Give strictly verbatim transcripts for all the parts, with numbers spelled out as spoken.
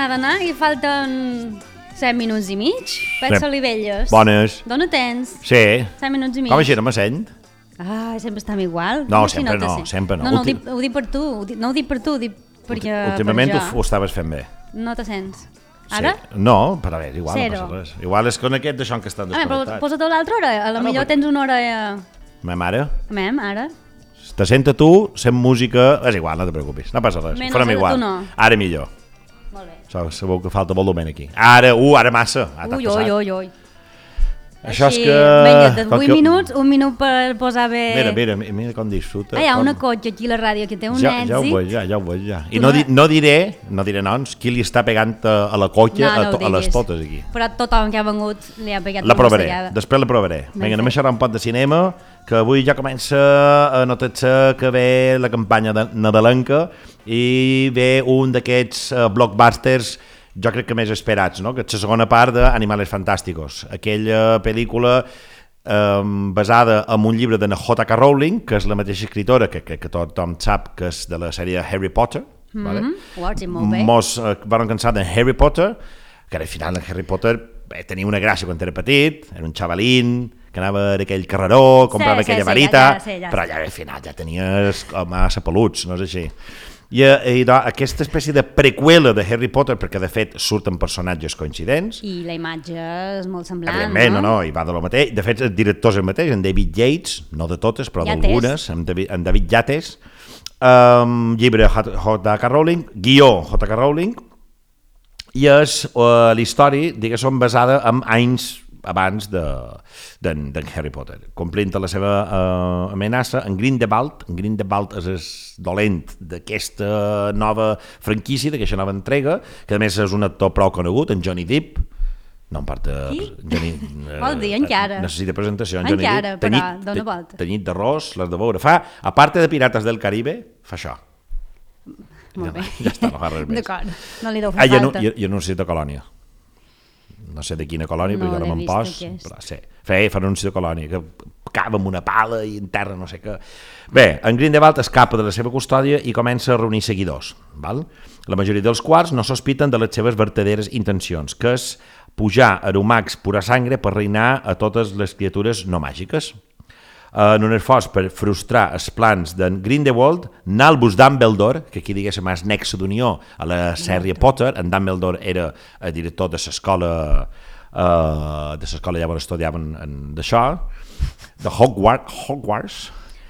n'ha d'anar i falten set minuts i mig. Pet Solivelles. Bones. D'on ho tens? Sí. set minuts i mig. Com així, no me sent? Ah, sempre estem igual. No, sempre no, sempre no. No, no, ho dic, ho dic per tu, ho dic, no ho dic per tu, ho dic perquè... Últimament ho, ho estaves fent bé. No te sents. Ara? Sí. No, però a veure, igual Zero. no passa res. Igual és con aquest d'això que estan Ah, però desconnectats. posa-te l'altra hora, a la Ah, no, millor perquè- tens una hora... Eh... Ma mare, Mem, ara? te sent a tu, sent música... És igual, no te preocupis, no passa res. Menys Farem a tu igual. no. Ara millor. Molt bé. Sabeu, sabeu que falta volumen aquí. Ara, uh, ara massa. Ah, t'has Ui, passat. ui, ui, ui. Això és Així, que... Vinga, de vuit que- minuts, un minut per posar bé... Mira, mira, mira, mira com disfruta. Ah, hi ha com... una cotxe aquí a la ràdio que té un ja, èxit. ja ho veig, ja, ja ho veig, ja. I Tu no, no- di, no diré, no diré noms, qui li està pegant a, a la cotxa No, a, no ho to, a les diguis. totes aquí. Però tothom que ha vengut li ha pegat La una provaré, mossegada. després la provaré. Ben Vinga, anem a fet. xerrar un pot de cinema, que avui ja comença a notar-se que ve la campanya de nadalenca i ve un d'aquests uh, blockbusters, jo crec que més esperats, no? Que és la segona part d'Animales Fantásticos, aquella pel·lícula um, basada en un llibre de J K Rowling, que és la mateixa escritora que, que, que tothom sap que és de la sèrie Harry Potter. Mm-hmm. Vale? Ho has dit molt bé. Mos uh, van cansar de Harry Potter, que al final de Harry Potter eh, tenia una gràcia quan era petit, era un xavalín que anava d'aquell carreró, comprava Sí, sí, aquella sí, varita, ja, ja sé, ja però sé. ja al final ja tenies massa peluts, no és així. I, eh, i doncs, aquesta espècie de preqüela de Harry Potter, perquè de fet surten personatges coincidents, I la imatge és molt semblant, evidentment, no? no, no, i va de lo mateix. De fet, el director és el mateix, en David Yates, no de totes, però Yates. d'algunes, en David, en David Yates, um, llibre J K Rowling, guió J K Rowling, i és uh, la història, diguéssim, basada en anys abans d'en de, de Harry Potter. Complint la seva uh, amenaça, en Grindelwald, en Grindelwald és el dolent d'aquesta nova franquícia, d'aquesta nova entrega, que a més és un actor prou conegut, en Johnny Depp. No em porta... Qui? Johnny, Vol dir, encara. Necessita presentació, en Johnny Encara, Depp. però dona volta. Tenyit d'arròs, l'has de veure. Fa, a part de Pirates del Caribe, fa això. Molt bé. Ja està, no fa res més. D'acord, no li deu Ah, fer jo, no, falta. jo, jo no necessito colònia. No sé de quina colònia, No perquè ara l'he me'n vist, pos, aquest. però sí. Feia fa anunci de colònia, que cava amb una pala i enterra no sé què. Bé, en Grindelwald escapa de la seva custòdia i comença a reunir seguidors, val? La majoria dels quals no sospiten de les seves verdaderes intencions, que és pujar aromacs pura sangre per reinar a totes les criatures no màgiques. En un esforç per frustrar els plans d'en Grindelwald, Albus Dumbledore, que aquí diguéssim és nexe d'unió a la sèrie Potter, en Dumbledore era el director de l'escola uh, de l'escola llavors estudiaven d'això, de Hogwarts, Hogwarts,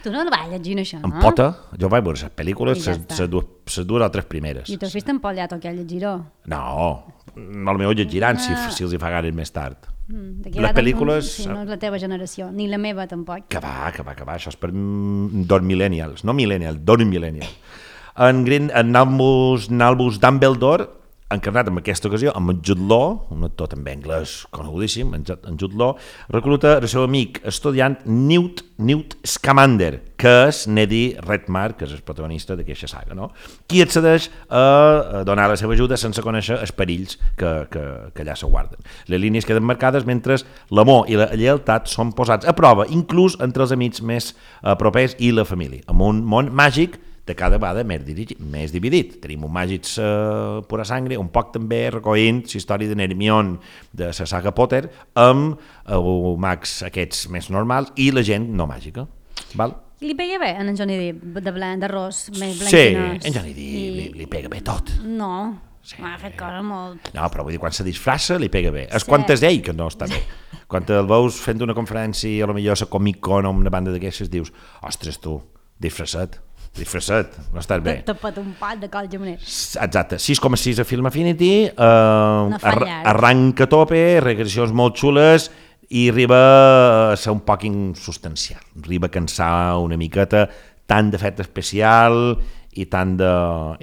Tu no el vas llegint, això, en no? Potter, jo vaig veure les pel·lícules, I ja les està. dues, dues o tres primeres. I t'has vist empollat o què, a llegir-ho? No, potser llegiran si, si els hi fa ganes més tard. Mm, d'aquí Les ara tampoc- pel·lícules- Sí, no és la teva generació, ni la meva tampoc. Que va, que va, que va, això és per mm, dos millennials, no millennials, dos millennials. En, Green, en Albus, en Albus Dumbledore, encarnat en aquesta ocasió amb en Jude Law, un actor també anglès conegudíssim, en Ju- en Jude Law, recluta el seu amic estudiant Newt, Newt Scamander, que és Neddy Redmar, que és el protagonista d'aquesta saga, no? Qui accedeix a donar la seva ajuda sense conèixer els perills que, que, que allà se guarden. Les línies queden marcades mentre l'amor i la lleialtat són posats a prova, inclús entre els amics més eh, propers i la família, en un món màgic de cada vegada més, dirigi, més dividit. Tenim un màgics uh, pura sangre, un poc també recollint la història de Hermione de la saga Potter amb uh, mags aquests més normals i la gent no màgica. Val? Li pega bé en Johnny Depp, de blanc, d'arròs, més Sí, blanquinós. en Johnny Depp I... li, li pega bé tot. No, Sí. m'ha fet coses molt... No, però vull dir, quan se disfraça li pega bé. És Sí. quan és ell que no està bé. Quan el veus fent una conferència, a lo millor a Comic Con o una banda d'aquestes, dius, ostres tu, disfressat. Disfressat, no estàs bé. Tapat un pal de qualque manera. Exacte, sis coma sis a Film Affinity, eh, fa ar llarg. arranca a tope, regressions molt xules i arriba a ser un poc insubstancial. Arriba a cansar una miqueta tant d'efecte especial i tant de,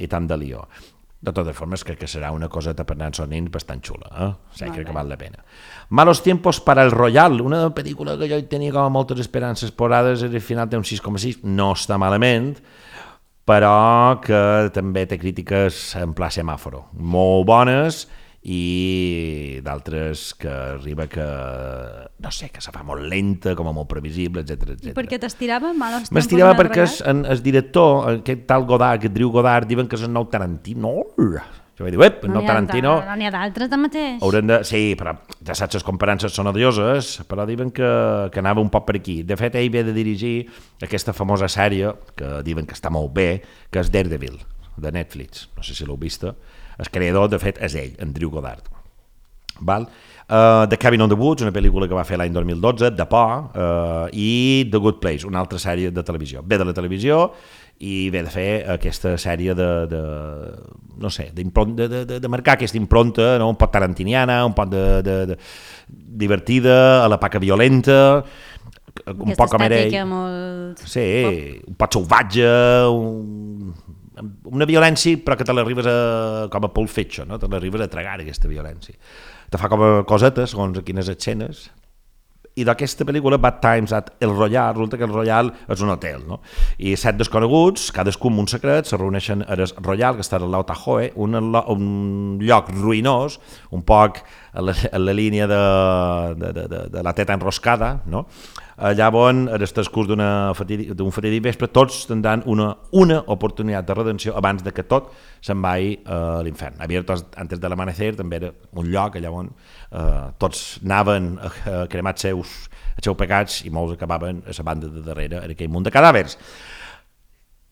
i tant de lió. De totes formes, crec que serà una cosa per anar sonint bastant xula, eh? O sigui, crec que val la pena. Malos tiempos para el Royal, una pel·lícula que jo tenia com moltes esperances posades i al final té un sis coma sis, no està malament, però que també té crítiques en pla semàforo, molt bones i d'altres que arriba que, no sé, que se fa molt lenta, com a molt previsible, etcètera, etcètera. Per què t'estirava? Malos tiempos M'estirava en el perquè és, Royal? en, el director, aquest tal Godard, aquest Drew Goddard, diuen que és el nou Tarantino. Jo vaig dir, uep, no, n'hi ha Tarantino... ta- No n'hi ha d'altres, tanmateix. Haurem de... Sí, però ja saps, les comparances són odioses, però diuen que, que anava un poc per aquí. De fet, ell ve de dirigir aquesta famosa sèrie, que diuen que està molt bé, que és Daredevil, de Netflix. No sé si l'heu vista. El creador, de fet, és ell, Andrew Goddard. Val? Uh, The Cabin on the Woods, una pel·lícula que va fer l'any dos mil dotze, de por, uh, i The Good Place, una altra sèrie de televisió. Ve de la televisió i ve de fer aquesta sèrie de, de no sé, de, de, de, de marcar aquesta impronta, no? Un poc tarantiniana, un poc de, de, de divertida, a la paca violenta, un aquesta poc com era ell. molt... Sí, un poc salvatge, un, una violència, però que te l'arribes a, com a Pulp Fiction, no? Te l'arribes a tragar, aquesta violència. Te fa com a cosetes, segons quines escenes. I d'aquesta pel·lícula, Bad Times at El Royal, resulta que El Royal és un hotel, no? I set desconeguts, cadascun amb un secret, se reuneixen a El Royal, que està al Lao Tahoe, un, un lloc ruïnós, un poc a la, a la línia de, de, de, de, de la teta enroscada, no? Allà on, en el transcurs d'un fatídic vespre, tots tindran una, una oportunitat de redenció abans de que tot se'n vagi a l'infern. Abiertos antes de l'amanecer també era un lloc allà on eh, tots anaven a, a cremar els seus, els seus pecats i molts acabaven a la banda de darrere en aquell munt de cadàvers.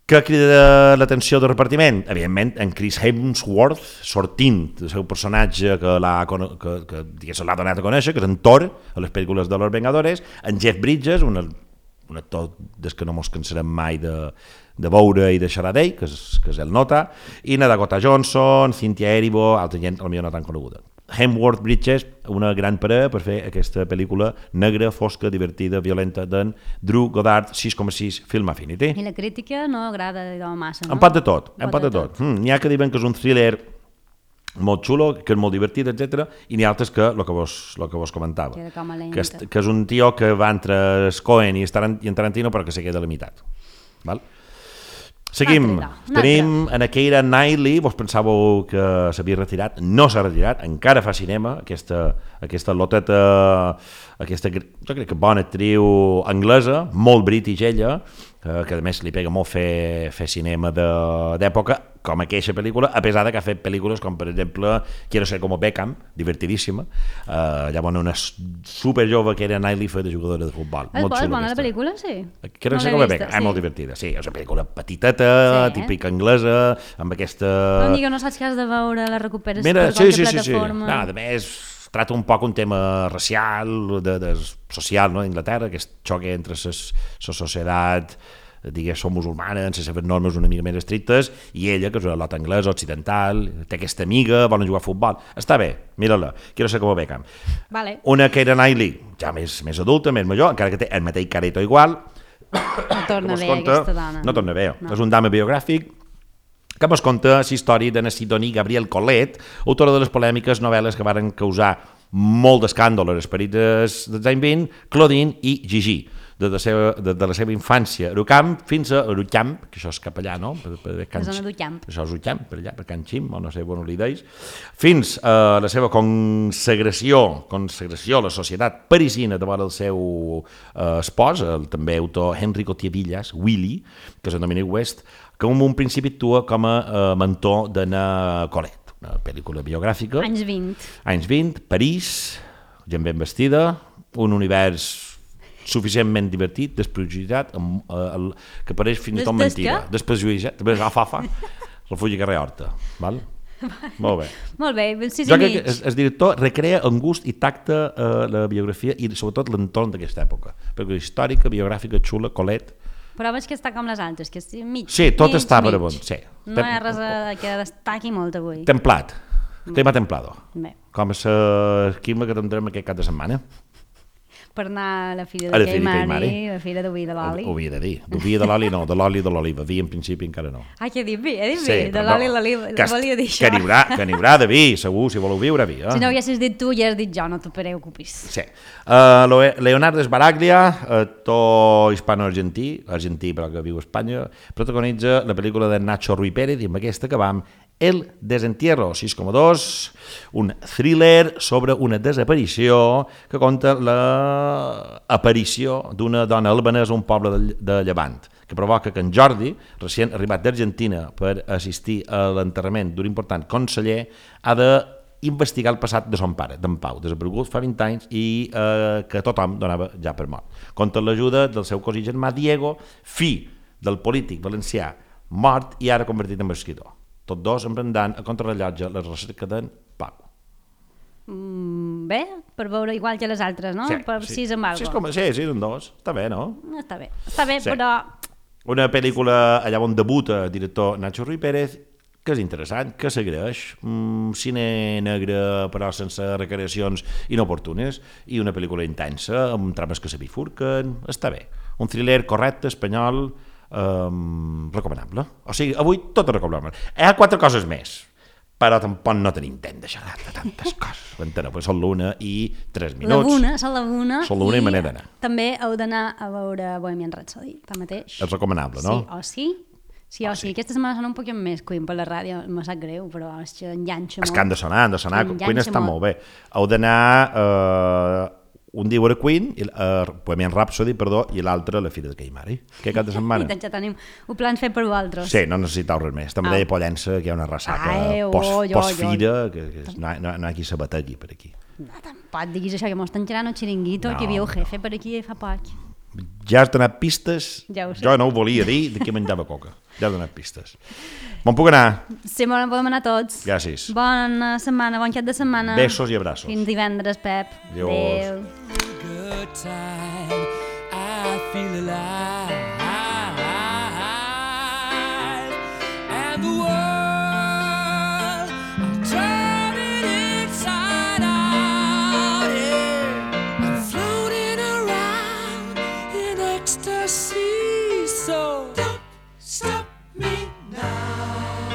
Què crida l'atenció del repartiment? Evidentment, en Chris Hemsworth, sortint del seu personatge que l'ha que, que, l'ha donat a conèixer, que és en Thor, a les pel·lícules de Los Vengadores, en Jeff Bridges, un, un actor des que no mos cansarem mai de, de veure i de xerrar d'ell, que, és, que és el nota, i na Dakota Johnson, Cynthia Erivo, altra gent potser no tan coneguda. Hemsworth Bridges, una gran parella per fer aquesta pel·lícula negra, fosca, divertida, violenta d'en Drew Goddard, sis coma sis Film Affinity. I la crítica no agrada allò massa, no? En pot de tot, en pot de tot. Mm, n'hi ha que diuen que és un thriller molt xulo, que és molt divertit, etcètera, i n'hi ha altres que, el que vos, lo que vos comentava, que, que, és, que és un tio que va entre Coen i en Tarantino però que se queda limitat. Val? Seguim. Tenim en Keira Knightley, vos pensàveu que s'havia retirat, no s'ha retirat, encara fa cinema, aquesta, aquesta loteta, aquesta, jo crec que bona actriu anglesa, molt british ella, que a més li pega molt fer, fer cinema d'època, com aquesta pel·lícula, a pesar de que ha fet pel·lícules com, per exemple, Quiero ser como Beckham, divertidíssima, uh, llavors una super jove que era Knightley fe de jugadora de futbol. És molt bona la pel·lícula, sí? Quiero ser como Beckham, sí. És molt divertida, sí, és una pel·lícula petiteta, sí, típica anglesa, amb aquesta... No digui que no saps que has de veure la recuperació Mira, per sí, qualsevol sí, plataforma. Sí, sí. No, a més, trata un poc un tema racial, de, de social, no?, d'Inglaterra, que xoca entre la societat, digués, són musulmanes, sense saber normes una mica més estrictes, i ella, que és una lota anglesa, occidental, té aquesta amiga, volen jugar a futbol. Està bé, mira-la, quiero ser como Beckham. Vale. Una Keira Knightley, ja més, més adulta, més major, encara que té el mateix careto igual. No torna bé, compta, aquesta dona. No torna bé, no. És un drama biogràfic que mos conta la història de la Sidonie Gabrielle Collet, autora de les polèmiques novel·les que varen causar molt d'escàndol a l'esperit dels anys vint, Claudine i Gigi, de la seva, de, de la seva infància a Urucamp fins a Urucamp, que això és cap allà, no? Per, per, per Can... La zona d'Urucamp. Això és Urucamp, per allà, per Can Xim, o no sé on li deis, fins a la seva consagració, consagració a la societat parisina davant el seu eh, espòs, el també autor Henry Cotier-Villas, Willy, que és en Dominic West, que en un principi actua com a eh, mentor d'Anna Collet, una pel·lícula biogràfica. Anys vint. Anys vint, París, gent ben vestida, un univers suficientment divertit, desprejudicat, amb, eh, que pareix fins i tot mentida. Desprejudicat, agafa, refugi carrer Horta. Val? Molt bé. Molt bé, sis jo i mig. crec que el, el director recrea amb gust i tacte eh, la biografia i sobretot l'entorn d'aquesta època. Perquè històrica, biogràfica, xula, Collet. Però veig que està com les altres, que és mig. Sí, tot mig, està mig. per bon. Sí. No hi ha res a, que destaqui molt avui. Templat. Clima templado. Bé. Com el clima que tindrem aquest cap de setmana. Per anar a la fira a de la fira Caimari, a la fira d'Oví de l'Oli. Ho havia de dir. D'Oví de l'Oli no, de l'oli de l'oliva. Vi en principi encara no. Ah, que he dit vi, he dit vi, sí, de l'oli i l'oliva. Que, volia dir que n'hi haurà, que n'hi haurà de vi, segur, si voleu viure vi. Eh? Si no ho haguessis dit tu, ja has dit jo, no te preocupis. Sí. Uh, Leonardo Sbaraglia, actor hispano-argentí, argentí però que viu a Espanya, protagonitza la pel·lícula de Nacho Rui Pérez i amb aquesta que vam El desentierro, sis coma dos, un thriller sobre una desaparició que conta l'aparició d'una dona albanesa a un poble de, de Llevant, que provoca que en Jordi, recient arribat d'Argentina per assistir a l'enterrament d'un important conseller, ha d'investigar el passat de son pare, d'en Pau, desaparegut fa vint anys i eh, que tothom donava ja per mort. Compta l'ajuda del seu cosí germà Diego, fill del polític valencià mort i ara convertit en escriptor. Tots dos emprendran a contrarrellotge la recerca d'en Pau. Mm, bé, per veure igual que les altres, no? Sí, per sí. sis amb algo. Sí, com, sí, sí, en dos. Està bé, no? Està bé, està bé, Sí. però... Una pel·lícula allà on debuta el director Nacho Ruiz Pérez, que és interessant, que s'agraeix, mm, cine negre però sense recreacions inoportunes, i una pel·lícula intensa, amb trames que se bifurquen, està bé. Un thriller correcte, espanyol, um, recomanable. O sigui, avui tot és recomanable. Hi ha quatre coses més, però tampoc no tenim temps de xerrar de tantes coses. Enteneu, perquè són l'una i tres La minuts. una, són la una. Són l'una i me n'he d'anar. També heu d'anar a veure Bohemian Rhapsody, tanmateix. És recomanable, no? Sí, o sí? Sí o sí. Aquesta setmana sona un poquet més Queen per la ràdio, me sap greu, però és que enganxa molt. És que han de sonar, han de sonar. Enganxa Queen està molt. molt bé. Heu d'anar eh, un dia a veure Queen, i, eh, Bohemian Rhapsody, perdó, i l'altre la Fira de Caimari. Què cap de setmana? I tant, ja tenim un plan fet per vosaltres. Sí, no necessiteu res més. També Au. deia Pollença que hi ha una ressaca Ai, oh, post, jo, post-fira, que, que no, no, no hi ha qui s'abategui per aquí. No, tampoc diguis això, que mos estan tirant el xiringuito, No. que hi havia un jefe per aquí fa poc. Ja has donat pistes, Ja ho sé. jo no ho volia dir, de qui menjava coca. Ja has donat pistes. Me'n puc anar? Sí, bon, podem anar tots. Gràcies. Bona setmana, bon cap de setmana. Besos i abraços. Fins divendres, Pep. Adiós. Adéu. Good time, I feel alive, and the world, I'm turning inside out, yeah. I'm floating around in ecstasy, so don't stop me now,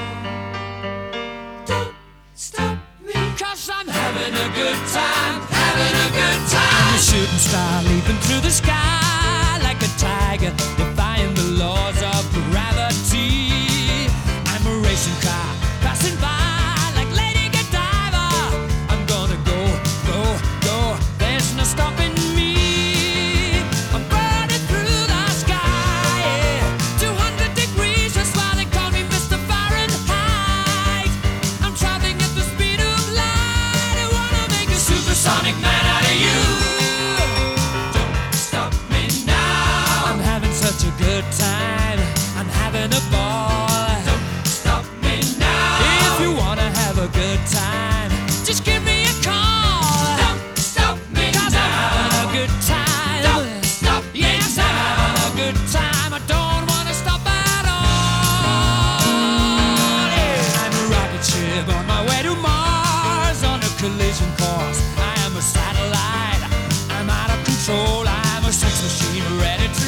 don't stop me, 'cause I'm having a good time, having a good time. I'm a shooting star leaping through the sky like a tiger, defying the laws of gravity. I'm a racing car passing by like Lady Godiva. I'm gonna go, go, go, there's no stopping me. I'm burning through the sky, yeah. two hundred degrees, that's why they call me Mister Fahrenheit. I'm traveling at the speed of light, I wanna make a supersonic man out of you. Don't stop me now, I'm having such a good time, I'm having a ball. Don't stop me now, if you wanna have a good time, just give me a call. Don't stop me 'cause now, I'm having a good time. Don't stop me yes, now, I'm having a good time, I don't wanna stop at all. Yeah. I'm a rocket ship on my way to Mars, on a collision course, I am a satellite, I'm out of control, I'm a sex machine ready to